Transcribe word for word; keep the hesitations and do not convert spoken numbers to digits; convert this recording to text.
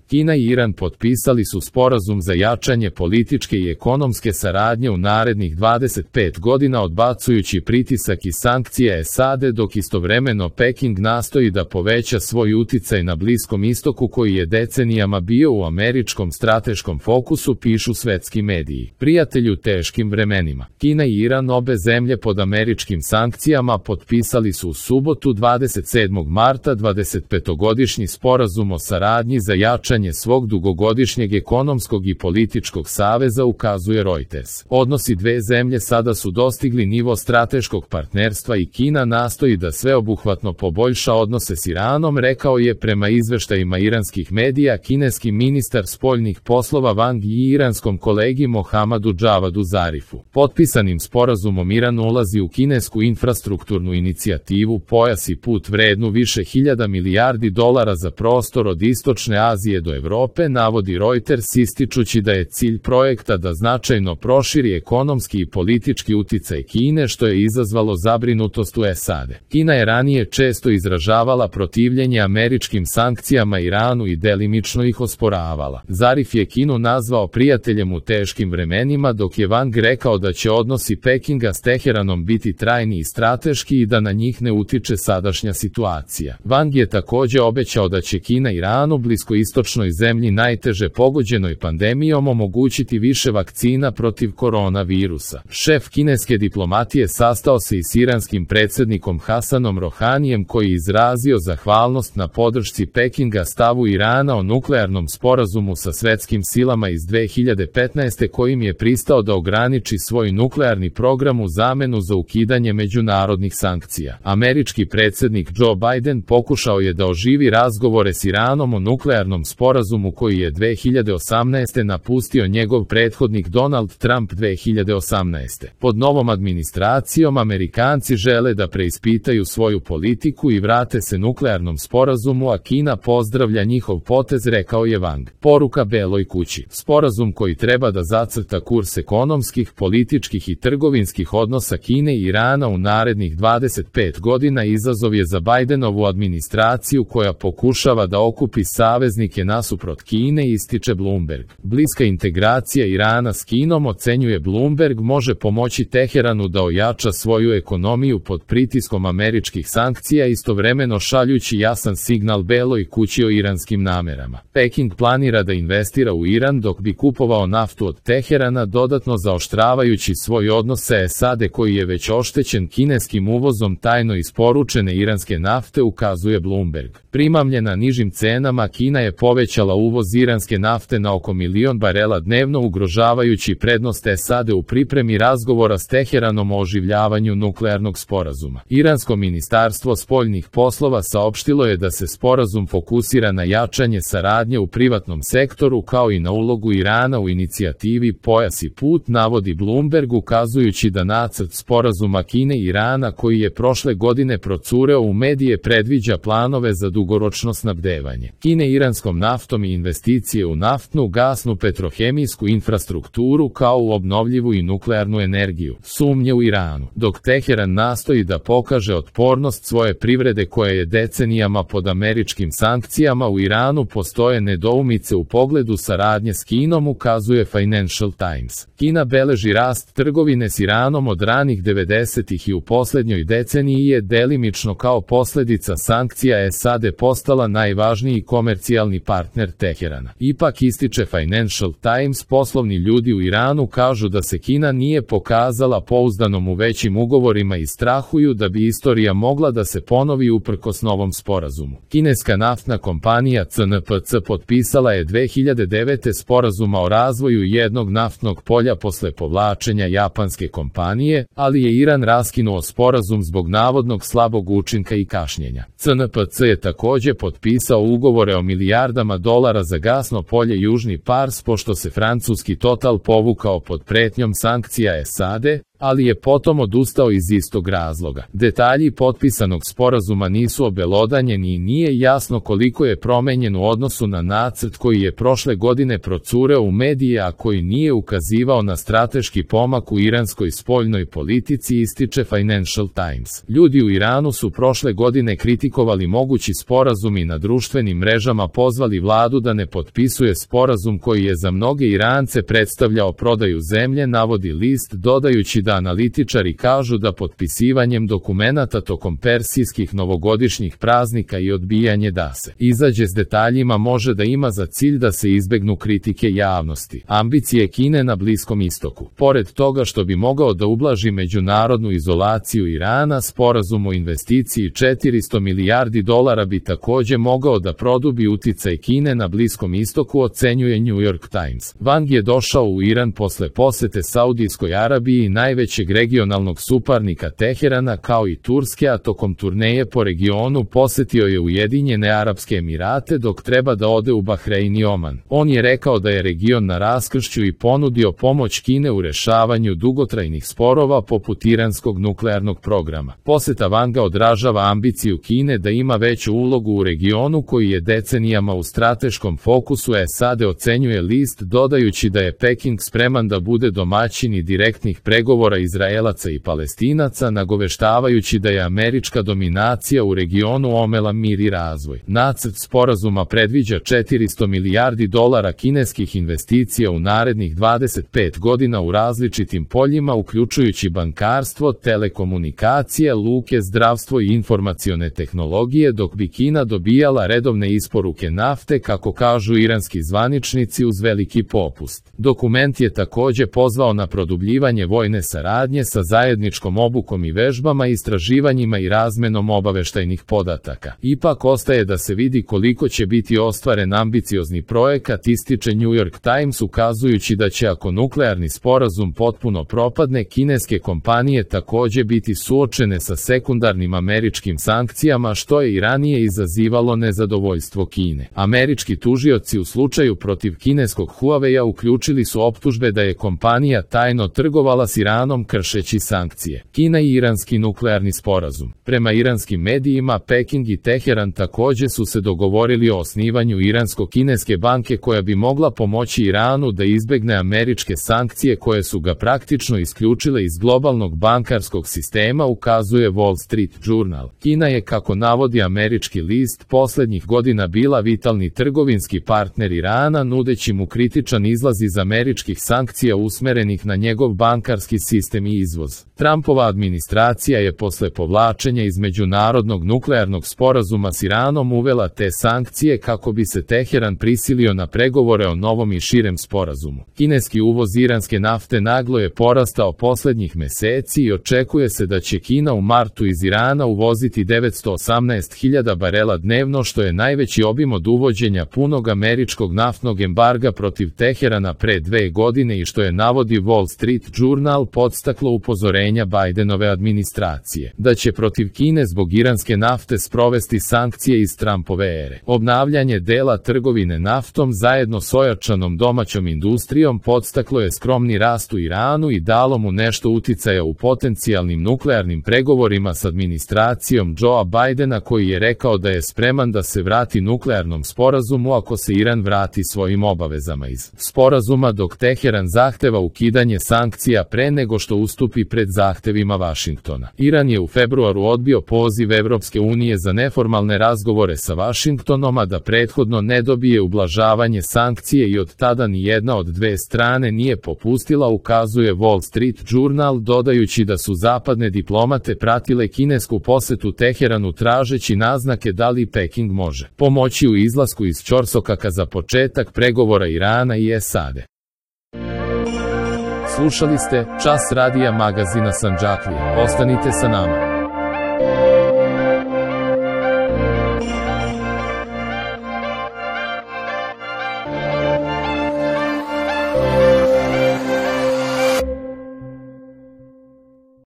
Kina i Iran potpisali su sporazum za jačanje političke i ekonomske saradnje u narednih dvadeset pet godina odbacujući pritisak i sankcije S A D, dok istovremeno Peking nastoji da poveća svoj uticaj na Bliskom istoku koji je decenijama bio u američkom strateškom fokusu, pišu svetski mediji. Prijatelji u teškim vremenima. Kina i Iran, obe zemlje pod američkim sankcijama, potpisali su u subotu dvadeset sedmog marta dvadesetpetogodišnji sporazum o saradnji za jačanje svog dugogodišnjeg ekonomskog i političkog saveza, ukazuje Reuters. Odnosi dve zemlje sada su dostigli nivo strateškog partnerstva i Kina nastoji da sveobuhvatno poboljša odnose s Iranom, rekao je prema izveštajima iranskih medija kineski ministar spoljnih poslova Wang Yi iranskom kolegi Mohammadu Javadu Zarifu. Potpisanim sporazumom Iran ulazi u kinesku infrastrukturnu inicijativu Pojas i put vrednu više hiljada milijardi dolara za prostor od Istočne Azije do Evrope, navodi Reuters, ističući da je cilj projekta da značajno proširi ekonomski i politički uticaj Kine, što je izazvalo zabrinutost u S A D. Kina je ranije često izražavala protivljenje američkim sankcijama Iranu i delimično ih osporavala. Zarif je Kinu nazvao prijateljem u teškim vremenima, dok je Wang rekao da će odnosi Pekinga s Teheranom biti trajni i strateški i da na njih ne utiče sadašnja situacija. Wang je također obećao da će Kina Iranu, bliskoistočnoj zemlji najteže pogođenoj pandemijom, omogućiti više vakcina protiv koronavirusa. Šef kineske diplomatije sastao se i s iranskim predsjednikom Hasanom Rohanijem, koji je izrazio zahvalnost na podršci Pekinga stavu Irana o nuklearnom sporazumu sa svetskim silama iz dve hiljade petnaeste kojim je pristao da ograniči svoj nuklearni program u zamenu za ukidanje međunarodnih sankcija. Američki predsjednik Joe Biden pokušao je da oživi razgovore s Iranom o nuklearnom sporazumu koji je dve hiljade osamnaeste napustio njegov prethodnik Donald Trump dve hiljade osamnaeste. Pod novom administracijom Amerikanci žele da preispitaju svoju politiku i vrate se nuklearnom sporazumu, a Kina pozdravlja njihov potez, rekao je Wang. Poruka Beloj kući. Sporazum koji treba da zacrta kurs ekonomskih, političkih i trgovinskih odnosa Kine i Irana u narednih dvadeset pet godina izazov je za Bidenovu administraciju koja pokušava da okupi saveznike nasuprot Kine, ističe Bloomberg. Bliska integracija Irana s Kinom, ocenjuje Bloomberg, može pomoći Teheranu da ojača svoju ekonomiju pod pritiskom američkih sankcija, istovremeno šaljući jasan signal Beloj kući o iranskim namerama. Peking planira da investira u Iran dok bi kupovao naftu od Teherana, dodatno zaoštravajući svoj odnos sa S A D koji je već oštećen kineskim uvozom tajno isporučene iranske nafte, ukazuje Bloomberg. Primamljena nižim cenama, Kina je povećala uvoz iranske nafte na oko milion barela dnevno, ugrožavajući prednost S A D u pripremi razgovora s Teheranom o oživljavanju nuklearnog sporazuma. Iransko ministarstvo spoljnih poslova saopštilo je da se sporazum fokusira na jačanje saradnje u privatnom sektoru kao i na ulogu Irana u inicijativi Pojas i put, navodi Bloomberg, ukazujući da nacrt sporazuma Kine i Irana koji je prošle godine procureo u medije predviđa planove za dugoročno snabdevanje Kine iranskom naftom i investicije u naftnu, gasnu, petrohemijsku infrastrukturu kao u obnovljivu i nuklearnu energiju. Sumnje u Iranu. Dok Teheran nastoji da pokaže otpornost svoje privrede koja je decenijama pod američkim sankcijama, u Iranu postoje nedoumice u pogledu saradnje s Kinom, ukazuje Financial Times. Kina beleži rast trgovine s Iranom od ranih devedesetih i u posljednjoj deceniji je delimično kao posljedica sankcija S A D postala najvažniji komercijalni partner Teherana. Ipak, ističe Financial Times, poslovni ljudi u Iranu kažu da se Kina nije pokazala pouzdanom u većim ugovorima i strahuju da bi istorija mogla da se ponovi uprkos novom sporazumu. Kineska naftna kompanija C N P C potpisala je dve hiljade devete sporazuma o razvoju jednog naftnog polja posle povlačenja japanske kompanije, ali je Iran raskinuo sporazum zbog navodnog slabog učinka i kašnjenja. C N P C je također potpisao ugovore o milijardama dolara za gasno polje Južni Pars pošto se francuski Total povukao pod pretnjom sankcija S A D, ali je potom odustao iz istog razloga. Detalji potpisanog sporazuma nisu obelodanjeni i nije jasno koliko je promenjen u odnosu na nacrt koji je prošle godine procureo u medije, a koji nije ukazivao na strateški pomak u iranskoj spoljnoj politici, ističe Financial Times. Ljudi u Iranu su prošle godine kritikovali mogući sporazum i na društvenim mrežama pozvali vladu da ne potpisuje sporazum koji je za mnoge Irance predstavljao prodaju zemlje, navodi list, dodajući da analitičari kažu da potpisivanjem dokumenata tokom persijskih novogodišnjih praznika i odbijanje da se izađe s detaljima može da ima za cilj da se izbegnu kritike javnosti. Ambicije Kine na Bliskom istoku. Pored toga što bi mogao da ublaži međunarodnu izolaciju Irana, sporazum o investiciji četiristo milijardi dolara bi takođe mogao da produbi uticaj Kine na Bliskom istoku, ocenjuje New York Times. Wang je došao u Iran posle posete Saudijskoj Arabiji i najvećeg regionalnog suparnika Teherana kao i Turske, a tokom turneje po regionu posetio je Ujedinjene Arapske Emirate dok treba da ode u Bahrein i Oman. On je rekao da je region na raskršću i ponudio pomoć Kine u rešavanju dugotrajnih sporova poput iranskog nuklearnog programa. Poseta Wanga odražava ambiciju Kine da ima veću ulogu u regionu koji je decenijama u strateškom fokusu S A D, ocenjuje list, dodajući da je Peking spreman da bude domaćin i direktnih pregovora Izraelaca i Palestinaca, nagoveštavajući da je američka dominacija u regionu omela mir i razvoj. Nacrt sporazuma predviđa četiristo milijardi dolara kineskih investicija u narednih dvadeset pet godina u različitim poljima, uključujući bankarstvo, telekomunikacije, luke, zdravstvo i informacione tehnologije, dok bi Kina dobijala redovne isporuke nafte, kako kažu iranski zvaničnici, uz veliki popust. Dokument je takođe pozvao na produbljivanje vojne saradnje sa zajedničkom obukom i vežbama, istraživanjima i razmenom obaveštajnih podataka. Ipak ostaje da se vidi koliko će biti ostvaren ambiciozni projekat, ističe New York Times, ukazujući da će, ako nuklearni sporazum potpuno propadne, kineske kompanije takođe biti suočene sa sekundarnim američkim sankcijama, što je i ranije izazivalo nezadovoljstvo Kine. Američki tužioci u slučaju protiv kineskog Huawei-a uključili su optužbe da je kompanija tajno trgovala s Iranom kršeći sankcije. Kina i iranski nuklearni sporazum. Prema iranskim medijima, Peking i Teheran takođe su se dogovorili o osnivanju iransko-kineske banke koja bi mogla pomoći Iranu da izbegne američke sankcije koje su ga praktično isključile iz globalnog bankarskog sistema, ukazuje Wall Street Journal. Kina je, kako navodi američki list, poslednjih godina bila vitalni trgovinski partner Irana, nudeći mu kritičan izlaz iz američkih sankcija usmerenih na njegov bankarski sistem i izvoz. Trumpova administracija je posle povlačenja iz međunarodnog nuklearnog sporazuma s Iranom uvela te sankcije kako bi se Teheran prisilio na pregovore o novom i širem sporazumu. Kineski uvoz iranske nafte naglo je porastao poslednjih meseci i očekuje se da će Kina u martu iz Irana uvoziti devetsto osamnaest hiljada barela dnevno, što je najveći obim od uvođenja punog američkog naftnog embarga protiv Teherana pre dve godine i što je, navodi Wall Street Journal, podstaklo upozorenja Bidenove administracije da će protiv Kine zbog iranske nafte sprovesti sankcije iz Trumpove ere. Obnavljanje dela trgovine naftom zajedno s ojačanom domaćom industrijom podstaklo je skromni rast u Iranu i dalo mu nešto uticaja u potencijalnim nuklearnim pregovorima s administracijom Joea Bidena, koji je rekao da je spreman da se vrati nuklearnom sporazumu ako se Iran vrati svojim obavezama iz sporazuma, dok Teheran zahteva ukidanje sankcija pre nego što ustupi pred zahtevima Vašingtona. Iran je u februaru odbio poziv Evropske unije za neformalne razgovore sa Vašingtonom, a da prethodno ne dobije ublažavanje sankcije, i od tada ni jedna od dve strane nije popustila, ukazuje Wall Street Journal, dodajući da su zapadne diplomate pratile kinesku posetu Teheranu tražeći naznake da li Peking može pomoći u izlasku iz ćorsokaka za početak pregovora Irana i S A D. Slušali ste Čas radija magazina Sandžaklije. Ostanite sa nama.